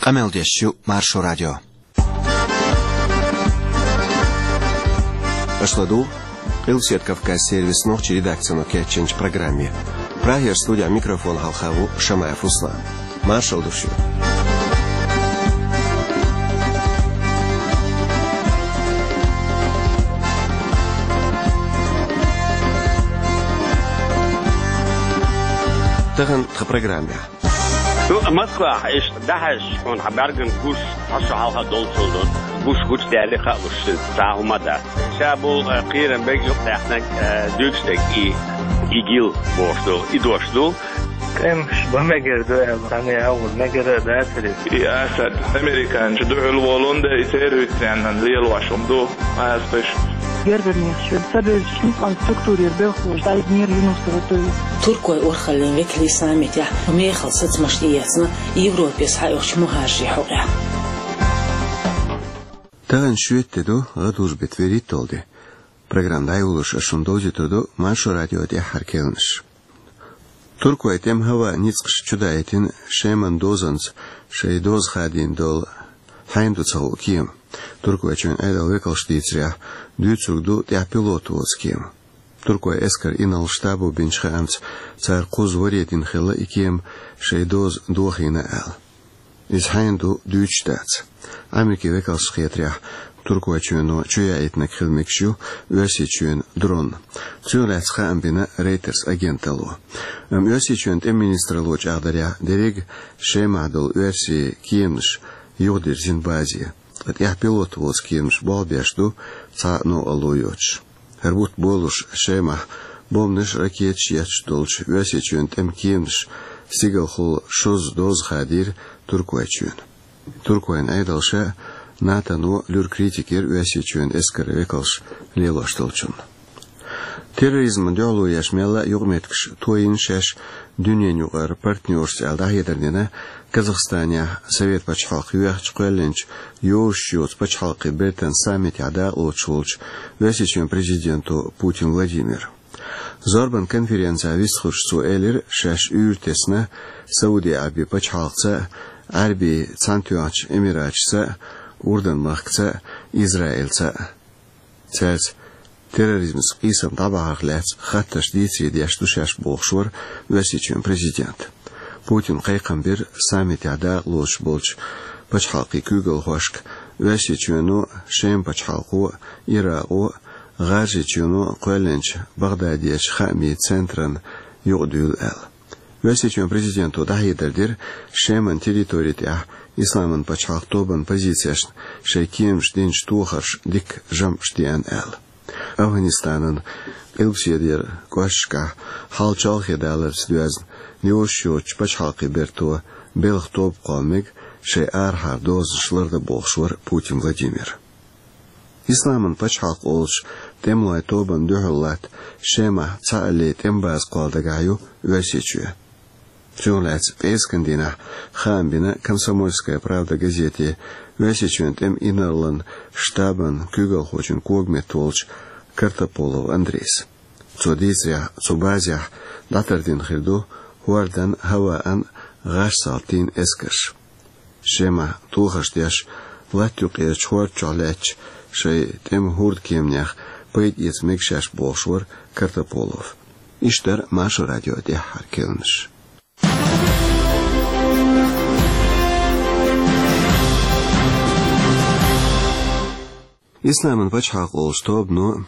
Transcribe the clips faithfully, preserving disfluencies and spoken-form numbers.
Къамел деш ю Маршо радио. Аша ладугӀу Къилбаседа Кавказан сервисан нохчийн редакцино кечйинчу программе. Прагера студехь микрофон хьалха ву Шамаев Руслан. Маршалла ду шуьга. Тахана тхан программехь. Ду Москвахь иштта дӀахьаьжча, хьуна хьан бӀаьргана гуш цхьа шо хьалха долчул ду. Гуш гучудаьлла хаалуш цхьа а хӀума дац. Ша бу, э, кхерам бег юкъадаьхнарг, э, дуьйцуш дерг и, ИГИЛ бохуш ду, и дош ду. ТӀемаш бан мегар ду аьлла, цхьанна а агӀор мегар а дацара иза. И Асад, американчу дуьхьал волун да, и террористашна лелош хӀума ду, массо а. Гергарнех шуьга ца бевзачу ницкъан структурера белхалоша дӀайигнера Юнусова Туй. Туркойн урхаллин векалий саммитехь мехала сацамаш тӀеэцна Европе схьаоьхучу мухӀажарийн хьокъехь. Тахана шоьтан де ду, гӀадужу беттан вуьрхӀитталгӀа де. Программа дӀайолош ас шуна довзуьйтур ду Маршо радион тӀаьххьара керланаш. Туркойн тӀеман хӀаваан ницкъаш чудаийтина Шеман дозанца шайн доза хадийна долу хьайна ду ца хуу кема. Туркойчоьнан Ӏедалан векалша дийцарехь, дуьйцург ду тӀехь пилот воцу кема. Туркойн эскаран инарла штабо бинчу хаамца, цара кхузза варе дина хилла и кема шайн доза дохийна аьлла. Иза хьайна ду дуьйцуш дац. Америкин векалшна хетарехь, Туркойчоьно чу яийтинарг хила мегаш ю Оьрсийчоьнан дрон. Цунах лаьцна хаам бина Reuters агенталло. Амма Оьрсийчоьнан тӀеман министралло чӀагӀдарехь, дерриг Шемахь долу оьрсийн кеманаш юхадирзина базе, ткъа тӀехь пилот воцу кеманаш болх беш ду цхьа а новкъарло йоцуш. ХӀара бутт болуш Шемахь бомбанаш а, ракеташ а етташ долчу Оьрсийчоьнан тӀеман кеманаш стигалхула шозза доза хадийра Туркойчоьнан. Туркойн Ӏедалша а, НАТОно а луьра критика йира Оьрсийчоьнан эскаран векалша лелош долчунна. Терроризмана дуьхьало еш мелла а юкъаметтигаш тойина шаьш дуьненаюкъара партнерашца аьлла дӀахьедар дина Казахстанехь Совет пачхьалкх йоьхча кхоьллинчу йозуш йоцу пачхьалкхийн бертан саммитехь дакъалоцуш волчу Оьрсийчоьнан президенто Путин Владимира. Зорбан конференцехь вистхуьлуш цо элира, шаьш уьйр тесна Сауди Ӏаьрбийн пачхьалкхца а, Ӏаьрбийн Цхьаьнатоьхначу Эмираташца а, Урдан-махкаца а, Израильца а. Цаьрца терроризмца къийсам дӀабахьарх лаьцна хаттарш дийцаре деш ду шаьш бохуш вара Оьрсийчоьнан президент. Путина кхайкхам бира саммитехь дакъалоцуш болчу пачхьалкхийн куьйгалхошка, Оьрсийчоьно а, Шеман пачхьалкхо а, Иракъо а, ГӀажарийчоьно а кхоьллинчу Багъдадерчу хаамийн центрана юкъадуьйла аьлла. Оьрсийчоьнан президенто дӀахьедар дира Шеман территори тӀехь Исламан пачхьалкх тобанан позицешна шайн кеманаша динчу тохарша дикка жамӀаш деана аьлла. АфгӀанистанан Къилбаседера кӀошташкахь хьал чолхе даларца доьзна йозуш йоцучу пачхьалкхийн берто белхан тоба кхолла мега шайн арахьара дозанаш лардан бохуш вара Путин Владимир. Исламан пачхьалкх олучу тӀемалойн тобанна дуьхьал латта Шемахь цхьаалле тӀеман база кхолла дагахь ю Оьрсийчоь. Цунах лаьцна пӀераскан дийнахь хаам бина «Комсомольская правда» газете Оьрсийчоьнан тӀеман инарла штабан куьйгалхочун когаметта волчу Картополов Андрейс. Цо дийцарехь, цу базехь дӀатардина хир ду хӀордан, хӀаваан, гӀаш-салтийн эскарш. Шемахь тохарш деш, латта юккъерачу хӀорда чохь лаьттачу шайн тӀеман хӀордан кеманех пайда эца мега шаьш бохуш вара Картополов. Иштта дара Маршо радион тӀаьххьара керланаш. Исламан пачхьалкх олучу тобано а,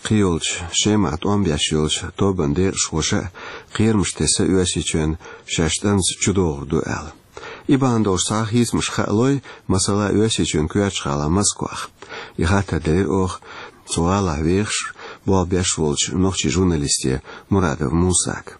кхийолчу Шемахь тӀом беш йолчу тобанан декъашхоша а кхерамаш тесна Оьрсийчоьнна шаьш тӀамца чудогӀур ду аьлла. И бахьана долуш цхьа а хийцамаш хаалой, масала, Оьрсийчоьнан коьртачу гӀалахь Москвахь. И хаттар делира оха цу гӀалахь вехаш, болх беш волчу нохчийн журналисте Мурадов Мусага.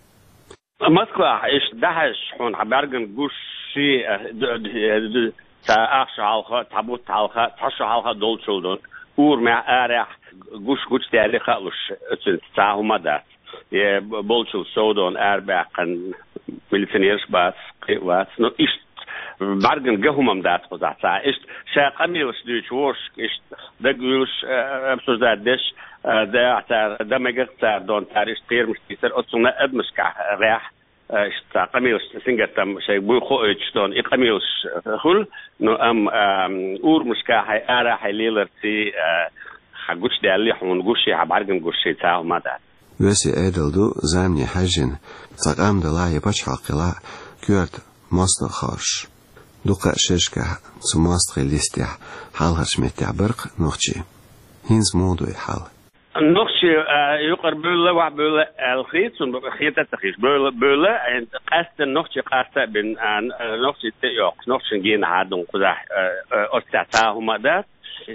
Москвахь иштта дӀахьаьжча, хьуна хьан бӀаьргана гуш ши, э, д-, д-, д-, цхьа ах шо хьалха, цхьа бутт хьалха, цхьа шо хьалха долчул ду. Урамехь, арахь гуш гучудаьлла хаалуш, оцуьнца цхьа а хӀума дац. Е б-, болчул сов дона арабаьккхина милиционераш бац, кхин а вац. Ну, иштта бӀаьргана ган хӀума-м дац кхузахь цхьа а. Иштта ша къамелаш дуьйцуш, вовшашка иштта дагавуьйлуш, э, обсуждать деш, э, дагахь цара, дан мегар цара дона, цара иштта кхерамаш тийсар, оцунна адамашкахь гӀехь. Э, иштта къамелаш сингаттам шайга буй хоуьйтуш долу и къамелаш, э, хуьлу, но амма, а, урамашкахьа, арахьа леларца, э, хьан гучудаьлла хьуна гуш, хьан бӀаьргана гуш, ца хӀума дац. Оьрсийн Ӏедал ду замане хьаьжжина цхьа къам далахь я пачхьалкх хилахь коьрта мостагӀа хоржуш. Дукха шерашкахь цу мостагӀийн листехь хьалхарчу меттехь бара-кх нохчий. ХӀинца муха ду и хьал? Нохчий, а, юкъара бевлла, охьабевлла аьлла хета суна, хета а ца хеташ. Бевлла, бевлла, а, къаьсттина нохчий къаста а бина, а, н-, а, нохчий тӀе а йоккхуш, нохчашна генахьа а дун кхузахь, а, а, оццехь цхьа а хӀума а дац.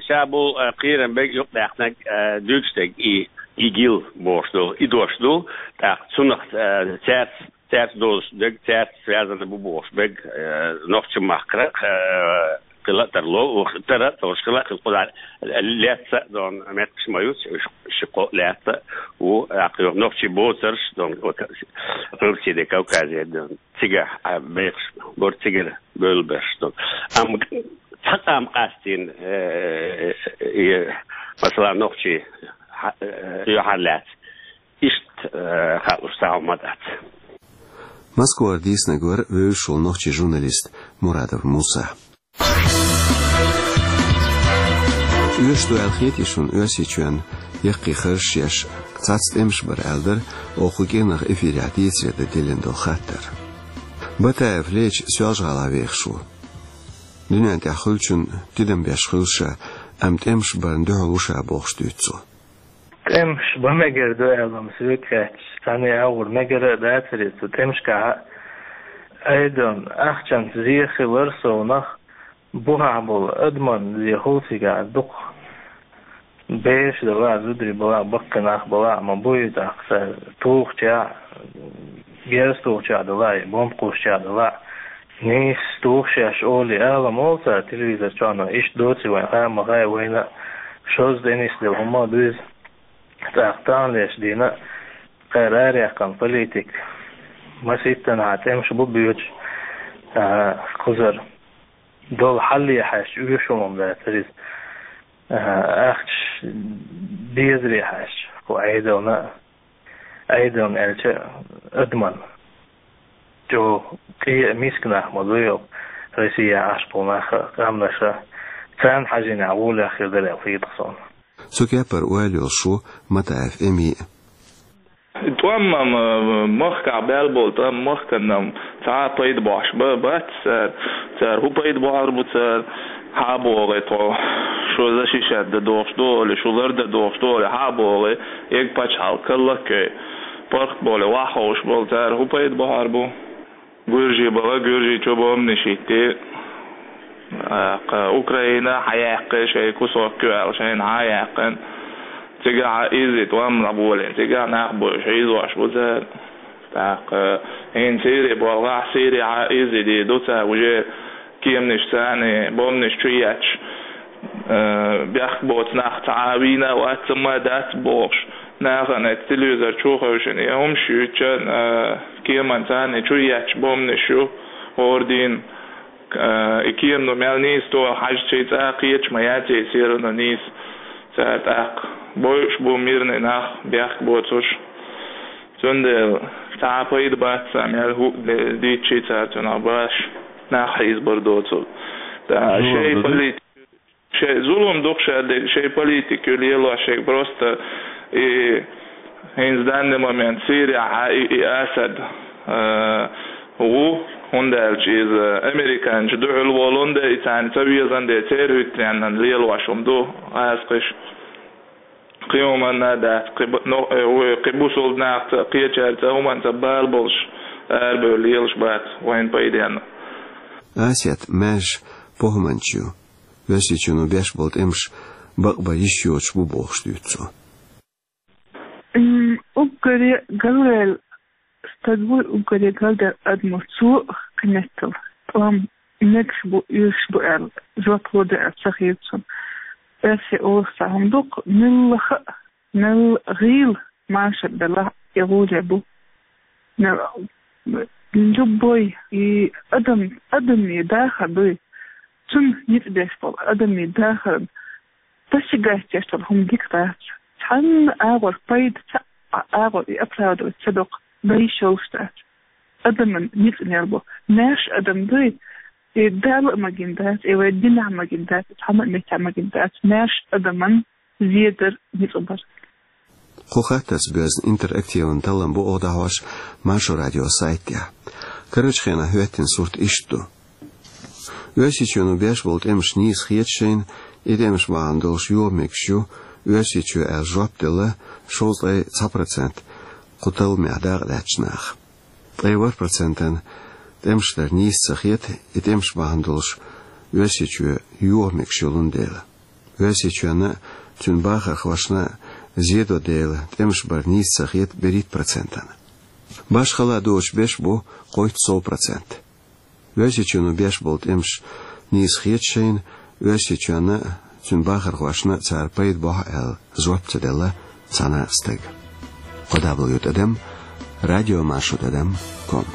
Ша болу, а, кхерам берг юкъадаьккхинарг, а, дуьйцуш дерг и, и гил бохуш долу, и дош ду. ТӀаккха цунах, а, цаьрца цаьрца долуш дерг, цаьрца связано бу бохуш берг, э, нохчийн махкара, э, хила а тарло, ух, тара а тарлуш хила а хила кхузахь лаьцна а дон меттигаш ма ю, уьш ши-кхо лаьцна а ву, а, кху нохчий боцурш дон, вот, Къилбаседе Кавказе дон, цигахь, а, бехаш бара цигара бевлла берш дон. Амма цхьа къам къастийна, э, э, э, масала, нохчий, хьа-, э, юьхьарлаьцна. Иштта, э, хаалуш цхьа хӀума дац. Москвара дийцинарг вара вевзаш волу нохчийн журналист Мурадов Муса. Оьшуш ду аьлла хетий шуна Оьрсийчоьнна яккхий харжаш еш цхьацца тӀемаш бар аьлла дара, оха кху кӀиранах эфирехь дийцаре дан диллина долу хаттар? Батаев Леча Соьлжа-ГӀалахь вехаш ву. Дуьнен тӀехь хуьлучунна тидам беш хуьлу ша, амма тӀемаш барна дуьхьал ву ша бохуш дуьйцу цо. ТӀемаш бан мегар ду аьлла-м соьга хаьттича, цхьанне а агӀор мегар а дацара иза цу тӀемашкахь а. Айдон, ахчанца зен хилар совнах, бухахь болу адаман зен хуьлу цигахь дукха. Бераш далахь, зударий балахь, баккхий нах балахь а ма бу иза, тӀаккха цара тухучехь, герз тухучехь далахь, бомба кхуссучехь далахь. Нийса тухуш еш олий ала ма олу цара телевизор чохь, но иштта доций вайн хаа ма хаьа, вайна а шозза тӀе нисделла хӀума а ду иза. ТӀаккха таханлерчу дийнахь а кхара араяьккхина политика маситтанхьа тӀемаш бу боьдуш, а, кхузара долу хьале хьаьжча, оьшуш хӀума дац иза. А, ахча безаре хьаьжча, кху Ӏедална а, Ӏедална аьлча, адаман чӀогӀа къе а, миска нах ма ду йо, Россия Ӏаш болу нах а, къаьмнаш а, царна хьажийнехь гӀолехь хир дара аьлла хета-кх суна. Цу кепара ойла йолуш ву Матаев Эми а. ТӀом-м, э, махкахь баьлла болу тӀом махкана-м цхьа а пайда бохьуш ба-, бац цара. Цара хӀун пайда бохьур бу цара? Хьа а бохий тхо, шу защищать дан дохуш ду олий, шу лар дан дохуш ду олий, хьа а бохий, эга пачхьалкх каллаккхий, паргӀат болий, ваха ховш болу цара хӀун пайда бохьур бу? Гуьржий бала, Гуьржийчу бомбанаш йитти, а, кха, Украина хьаяьккхи, шайн кусок ю аьлла, шайна хьа а яьккхина. Цигахь а изза тӀом а болийна, цигахь нах бойуш, хьийзош бу цара. ТӀаккха хӀинца Сири болхахь, Сири хьа а изза дийр ду цара, уже кеманаш царна, бомбанаш чу етташ, э, бехк боцу нах цхьа а вийна а вац, ма дац бохуш. Нахана телевизор чу хевшина, и хӀумаш юьйцучарна, э, кеман царна чу етташ бомбанаш ю, хӀора дийнна, э, и кема ну мел нийса тоху хьаьжча, цӀа кхеташ ма яц и, всё равно нийса. Цара тӀаккха бойуш бу мирный нах, бехк боцуш. Цундела цхьа а пайда бац царна, мел хӀуъа де-, дийцча цара цунах баш нах хьийзабар доцург. ТӀаккха шайн политика, шайн зулам ду-кх ша дерг, шайн политика ю лелош шайга, просто и хӀинца данный момент Сирехь а и, и Асад, э, ву, хӀунда аьлча иза американчу дуьхьал волун де, и царна ца везан де, церан хӀуьттаренна лелош хӀума ду, гӀазкхиш. Кхин хӀуманна а дац, кхин бу-, но, э, вай кхин бусулба нахаца, кхечаьрца, хӀуманца бала болуш, арабевлла лелаш бац вайн пайденна. Асет маьжа похӀманча ю. Оьрсийчоьно беш болу тӀемаш бакъбан йиш йоцуш бу бохуш дуьйцу цо. М, уггаре галваьлла стаг вуй, уггаре галдаьлла адамо, цо кхин меттала тӀом мегаш бу, оьшуш бу аьлла жоп ло дан аьлла ца хета суна. Оьрсий олуш цхьа хӀума ду-кх, мелла а, мелла гӀийла машар белахь а, и гӀоле бу. Мел, любой и адам, адамийн дахар дуй, цунна ницкъ беш болу адамийн дахарна достигать еш долу хӀума дика дац. Цхьанна агӀор пайда ца, а, агӀор и оправдывать ца доккху, дан йиш йолуш дац. адаман ницкъ мел бу. Маьрша адам дуй, э, Дала а магийна дац, э, вай динехь магийна дац, цхьана а меттехь магийна дац, маьрша адаман зедар ницкъ бар. Кху хаттарца боьзна интерактиван таллам бу оха дӀахьош Маршо радион сайт тӀехь. Карарчу хенахь хӀоьттина сурт иштта ду. Оьрсийчоьно беш болу тӀемаш нийса хета шайна, и тӀемаш бахьана долуш йоха мегаш ю Оьрсийчоь аьлла жоп делла шовзткъе цхьа процент кху талламехь дакъа лаьттачу наха. Ткъе ворхӀ процентана тӀемаш дар нийса ца хета, и тӀемаш бахьана долуш Оьрсийчоь йоха мегаш йолун дела. Оьрсийчоьнна а, цуьнан бахархошна а зедо дела, тӀемаш бар нийса ца хета берхӀитта процентана. Башхалла доцуш беш бу кхойтта сов процент. Оьрсийчоьно беш болу тӀемаш нийса хета шайна, Оьрсийчоьнна а, цуьнан бахархошна а цара пайда бохьу аьлла жоп ца делла цхьана а стага. Кхо дабл ю тӀадам радио маршо тӀадам ком.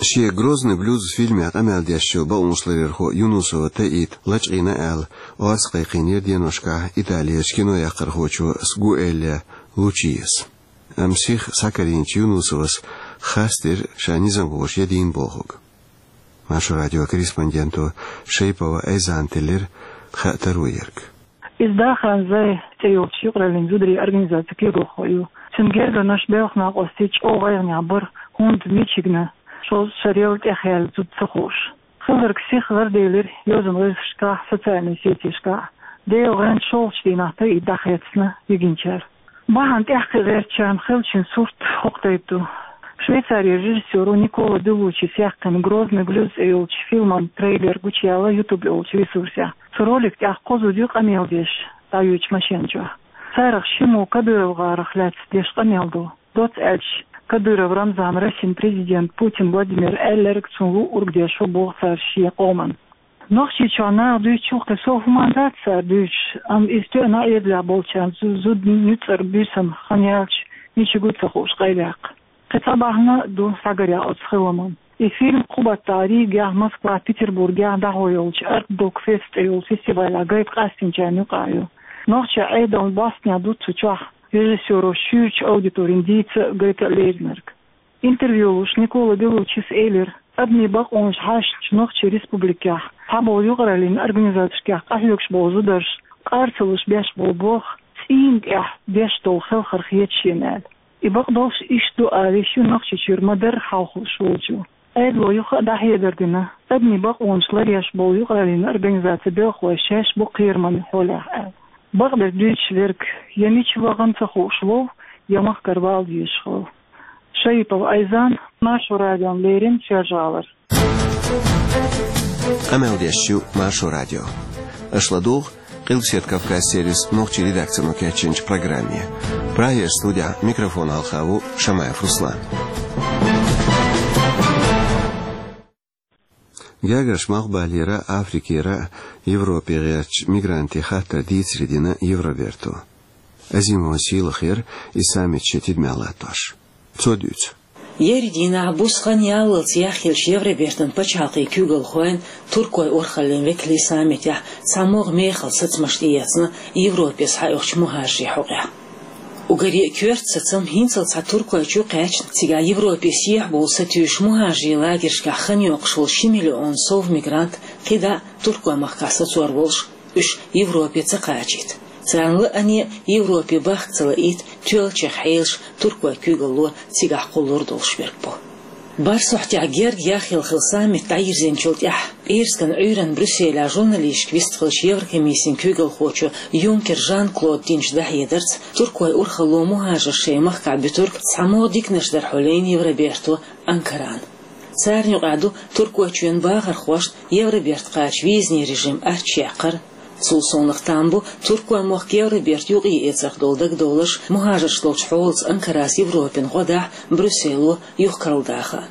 Шен «Грозный блюз» фильмехь къамел деш йолу бакъонашларъярхо Юнусова Таита лачкъийна аьлла, орца кхайкхийнера деношкахь Италерчу кинояккхархочо Сгуэлле Лучиас. Амма сиха схьакарийначу Юнусовас харцдира ша низамхоша ян дийна бохург. Маршо радион корреспонденто Шайпова Айзана теллира хаа таро ерг. Иза Дахан Зай цӀе йолчу юкъараллин зударийн организацин куьйгалхо ю. Цуьнан гергарнаш белхан накъостий чӀогӀа гӀайгӀанехь бара, хӀунда мичигна шозза шарал тӀехъяьлла зуда ца хууш. Хилларг сиха гӀарделира йозанан гӀирсашкахь, социальни сетешкахь. Делан гӀанта шолгӀачу дийнахь Таита дӀахецна йигинчара. Бахьана тӀаьхьакхиа гӀертачарна хиллачун сурт хӀокху тайпа ду. Швейцарин режиссёро Никола Беллучис яьккхина «Грозный блюз» цӀе йолчу фильман трейлер гучуяьлла YouTube йолчу ресурсехь. Цу ролик тӀехь кхо зуда ю къамел деш дӀаюьйцучу машен чохь. Царах шиммо КадыровгӀарах лаьцна деш къамел ду. Доцца аьлча, Кадыров Рамзана Россин президент Путин Владимира аьлларг цунна луъург деш ву боху цара шен къоман. Нохчийчохь наха дуьйцучух кхин сов хӀуманна дац цара дуьйцуш, амма иза тоьъна Ӏедалехь болчарна зу-, зуда нуьцкъара буьйсанна хан яьлча, мича гу ца хууш къайлаяккха. Кхин цхьа бахьана а ду схьагарехь оцу хиламан. И фильм кху баттахь Ригехь, Москвахь, Петербургехь дӀахьо йолчу Арт Док Фест цӀе йолу фестивалехь гайта къастийначарна юкъахь ю. Нохчийн Ӏедална бостнехь ду цу чохь режиссёро шуьйрачу аудиторина дийца а, гайта а леринарг. Интервью луш Никола Беллучис элира, адамийн бакъонаш хьаьшначу нохчийн республикехь, цхьаболу юкъараллин организацешкахь къахьоьгуш болу зударша къар ца луш беш болу болх цӀийнан тӀехь беш долу хелхар хета шена аьлла. И бакъдолуш иштта ду ала йиш ю Нохчийчуьра ма-дарра хьалхалуш волчо. Ӏедало юха а дӀахьедар дина, адамийн бакъонаш ларъеш болу юкъараллин организацин белхалой шаьш бу кхераман хьолехь аьлла. Бакъдерг дуьйцуш верг я мича вахана ца хууш ву, я махкара вала дезаш хилла. Шаипова Айзан, Маршо радиона леррина, Соьлжа-ГӀалара. Къамел деш ю Маршо радио. Аша ладугӀу Къилбаседа Кавказ сервисан нохчийн редакцино кечйинчу программе. Прагера студехь микрофон хьалха ву Шамаев Руслан. Гергарчу Малхбалера, Африкера, Европе гӀертачу мигрантийн хаттар дийцаре дина Евроберто. Азимова Сийлахера и саммит шен тидамехь латтош. Цо дуьйцу. Ерриг дийнахь буса хан яллалц яхъеллачу Евробертан пачхьалкхийн куьйгалхойн, туркойн урхаллин векалийн саммитехь цхьа могӀа мехала сацамаш тӀеэцна Европе схьаоьхучу мухӀажарийн хьокъехь. Уггаре а коьрта сацам хӀинццалц цхьа Туркойчу кхаьчна, цигахь Европе сехьа бовла сатуьйсуш мухӀажарийн лагершкахь хан йоккхуш волу ши миллион сов мигрант кхидӀа а Туркойн махкахь сацор волуш, уьш Европе ца кхачийта. Царна лаьцна Европе бахка ца лаийта тоьллачех хьелаш Туркойн куьйгалло цигахь кхуллур долуш верг бу. БархӀ сохьтехь герга яхъелла хилла саммит дӀайирзинчул тӀаьхьа, пӀераскан Ӏуьйранна Брюсселехь журналисташка вистхиллачу Еврокомиссин куьйгалхочо Юнкер Жан-Клода динчу дӀахьедарца, туркойн урхалло мухӀажарш шайн махкахь буьтург цхьа могӀа диканаш дара хьулийна Евроберто Анкарана. Царна юкъахь ду Туркойчоьнан бахархошна Евроберта кхача визанийн режим аччаяккхар. Цул совнаха там бу Туркойн мохк Евроберта юкъаэцарх долу дагадовларш мухӀажарш долчу хьолаца Анкарас Европина гӀо дахь, Брюссело юха карладаха.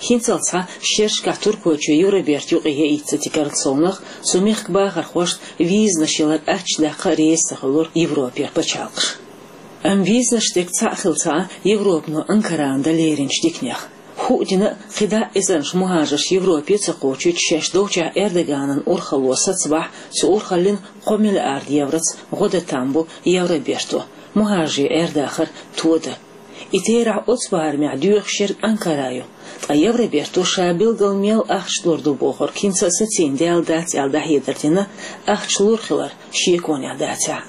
ХӀинццалц цхьа шерашкахь Туркойчоь Евроберта юкъа яйта ца тигарал совнаха, цу мехкан бахархошна визанаш ялар аччадаккха а реза ца хуьлура Европера пачхьалкхаш. Амма визанаш дерг цхьаъ хилла ца Ӏа, Европано Анкарана дан леринчу диканех. ХӀуъа дина а кхидӀа а эзарнаш мухӀажарш Европе ца кхочуьйтуш шаьш долчохь Эрдоганан урхалло сацабахь, цу урхаллин кхо миллиард евроца гӀо дан там бу Евроберто, мухӀажарийн Ӏер-дахар тодан. И терахь оцу барамехь доьхуш ерг Анкара ю. Ткъа Евроберто ша билггал мел ахча лур ду бохург хӀинца а сацийна даьлла дац аьлла дӀахьедар дина, ахча лур хилар шеконехь дацахь а.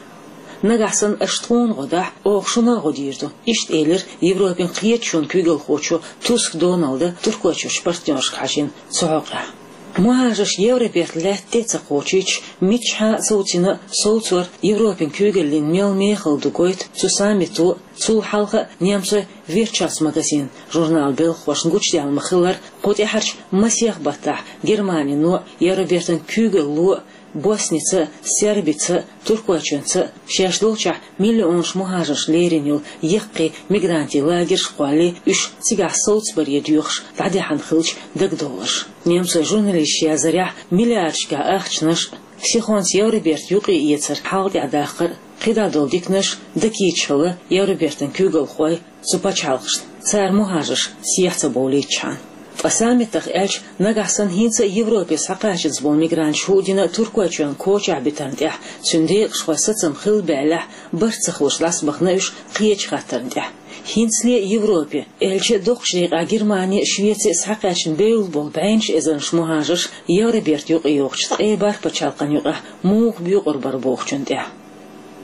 Нагахь санна аша тхуна гӀо дахь, оха шуна а гӀо дийр ду, иштта элира Европин кхеташонан куьйгалхочо Туск Доналда Туркойчуьрчу партнершка хьажийна цу хьокъехь. МухӀажарш Евроберта лаьтта тӀе а ца кхочуьйтуш, миччахьа а совцийна а совцор Европин куьйгаллин мел мехала ду гойту цу саммито а, цул хьалха а немцойн Wirtschaftsmagazin журналан белхахошна гучудаьлла ма-хиллара, кху тӀаьхьарчу масех баттахь Германино а, Евробертан куьйгалло а Босница а, Сербица а, Туркойчоьнца а шаьш долчохь миллионаш мухӀажарш лерина йолу яккхий мигрантийн лагерш а кхоллий, уьш цигахь совцабаре доьхуш дӀадаьхьна хиллачу дагадовларш. Немцойн журналисташа яздарехь, миллиардашкахь ахчанаш а, сихонца Евроберта юкъаэцар хьалха тӀаьхьа даккхар а, кхидӀа долу диканаш а дакийча хилла Евробертан куьйгалхой цу пачхьалкхашна, цара мухӀажарш сехьа ца бовлийтичхьана. Ткъа саммитах аьлча, нагахь санна хӀинца а Европе схьакхачанза болу мигранташ хӀуъа дина Туркойчоьнан кочахь битарна тӀехь, цуьнан декъашхойн сацам хилла баьллехь, барт ца хуьлуш дӀасабахана уьш кхечу хаттарна тӀехь. ХӀинцале а Европе, аьлча а доккхачу декъехь Германи а, Швеци а схьакхаьчна бевлла болу бӀеннаш эзарнаш мухӀажарш Евроберта юкъайогӀучу ткъе бархӀ пачхьалкхан юкъахь муха боькъур бара бохучунна тӀехь.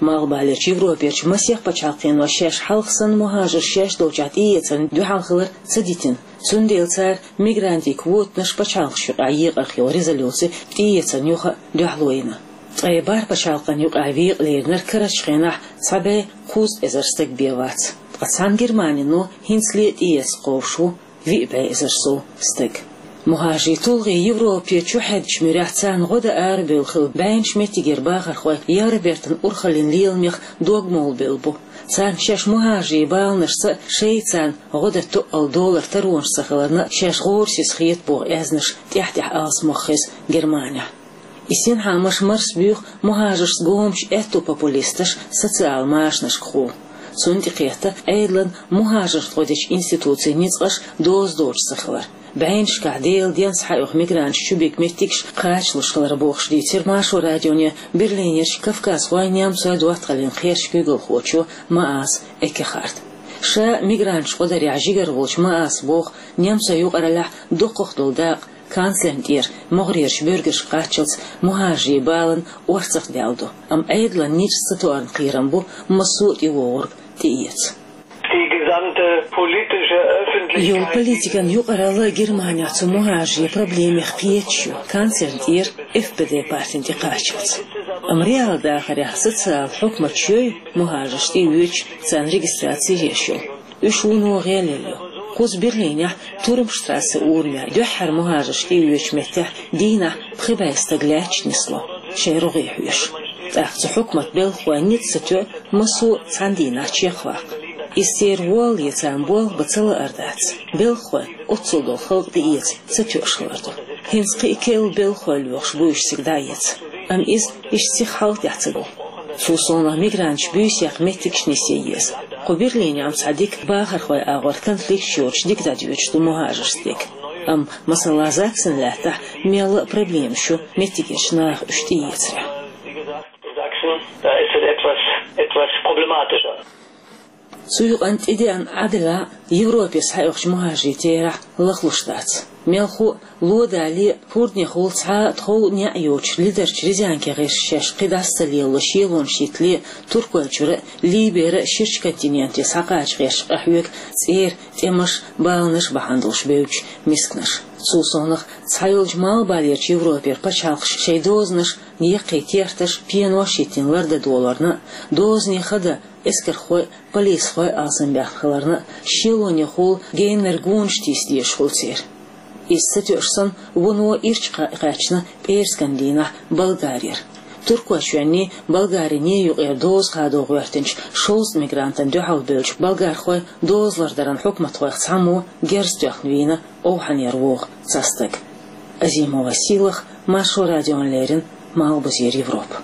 Малхбалерчу Европерчу масех пачхьалкхено шаьш хьалха санна мухӀажарш шаьш долчохь тӀеэцарна дуьхьал хилар ца дитина. Цундела цара мигрантийн квотанаш пачхьалкхашна юкъахь екъарх йолу резолюци тӀеэцарна юха а дуьхьало йина. Ткъе бархӀ пачхьалкхан юкъахь векъа леринарг карарчу хенахь цхьа бӀе кхузткъа эзар стаг бен вац. Ткъа цхьана Германино хӀинцале а тӀеэцна кхобуш ву виъ бӀе эзар сов стаг. МухӀажарийн тулгӀе Европе чухьаьддачу муьрехь царна гӀо дан арабевлла хилла бӀеннаш меттигера бахархой Евробертан урхаллин леламех дог молабевлла бу. Царна шаьш мухӀажарийн баланашца а, шайца царна гӀо дан тоъал долар таронаш ца хиларна а шаьш гӀорасиз хета боху аьзнаш тӀаьхь-тӀаьхьа алсамох хеза Германехь. И синхьаамаш марсабуьйху мухӀажаршца гомачу аьтту популисташа социал машанашкахула. Цунна тӀекхетта Ӏедалан мухӀажаршна гӀо дечу институцийн ницкъаш доза доцуш ца хилар, бӀеннашкахь Делан денца схьаоьху мигранташ чубига меттигаш кхачалуш хилар бохуш дийцира Маршо радионе Берлинерчу кавказхойн, немцойн доттагӀаллин кхерчан куьйгалхочо Маас Эккехарта. Ша мигранташ гӀо дарехь жигара волчу Мааса боху, немцойн юкъараллехь доккхах долу дакъа канцлерна тӀера могӀарерчу буьргашка кхаччалц мухӀажарийн баланан орцах даьлла ду, амма Ӏедалан ницкъаца тоьарна кхерам бу массо а тӀевогӀург тӀеэца. Die gesamte politische Öffentlichkeit. Йолу политикан юкъаралла Германехь цу мухӀажарийн проблемех кхеташ ю, канцлерна тӀера F P D партина тӀекхаччалц. Амма реал дахарехь социал хьукматаш йой мухӀажарш тӀеоьцуш, царна регистраци еш йолу. Уьш вуно гӀелъелла ю. Кхуза Берлинехь Турмштрассе урамехь дуьххьара мухӀажарш тӀеоьцучу меттехь дийнахь пхи бӀе стаг лаьтташ нисло, шайн рогӀе хьоьжуш. ТӀаккха цу хьукматан белхахойн ницкъ ца тоьа массо а цхьана дийнахь чекхваккха. Иза церан воллале царна болх бан ца лаар дац. Белхахой оццул долу халкъ тӀеэца ца тоьуш хилар ду. ХӀинца кхин а керла белхахой лоьхуш бу уьш цига дӀаэца. Амма иза иштта сиха хьалха тӀехь ца го. Цул совнаха мигранташ буьйса яккха меттигаш нисъе еза. Кху Берлинехь-м цхьа дика бахархойн агӀор конфликташ йоцуш дика дӀадоьдуш ду мухӀажаршна дерг. Амма, масала, Заксен лаьттахь мелла а проблемаш ю меттигерчу наха уьш тӀеэцарехь. Sachsen, da ist es etwas, etwas problematischer. Цу юкъана тӀедеана Ӏадда а Европе схьаоьхучу мухӀажарийн терахь лахлуш дац. Мелхо а, ло далале а, хӀордехула цхьа а тхов а, неӀ а йоцуш лидарчу Рязанке гӀерташ шаьш кхидӀа а ца лело шелонаш йитале а, Туркойчуьра а, Либера а ширачу континенте схьакхача гӀерташ къахьоьгу цӀера тӀемаш, баланаш бахьана долуш бевддаш мисканаш. Цул совнаха цхьайолчу Малхбалерчу Европера пачхьалкхаш шайн дозанаш, яккхий керташ, пенош йитина лардан доларна а, дозане хада эскархой а, полисхой а алсамбаьхна хиларна а, шелонехула геннара гонаш тийса дезаш хуьлу церан. Иза ца тоьуш санна, вуно ирча кхаьчна пӀераскан дийнахь Болгарера. Туркойчоьнний, Болгариний юкъера доза хадо гӀоьртинчу шовзткъа мигрантана дуьхьал бевллачу болгархойн доза лардаран хьукматхойх цхьаммо герз тоьхна вийна овхӀанера вогӀу цхьа стаг. Азимова Сийлаха, Маршо радиона леррина, Малхбузера Европа.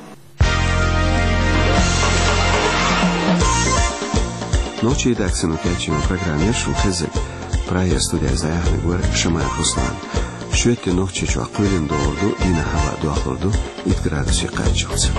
Нохчийн редакцино кечйина программа яра шуна хезиг. Прагера студиясай дӀаяханарг вар Шамаев Руслан. Шоайла Нохчийчоа кхойлина доагӀаргда, дийнахьа хӀаваъ дохлургда итт градусе кхаччалца.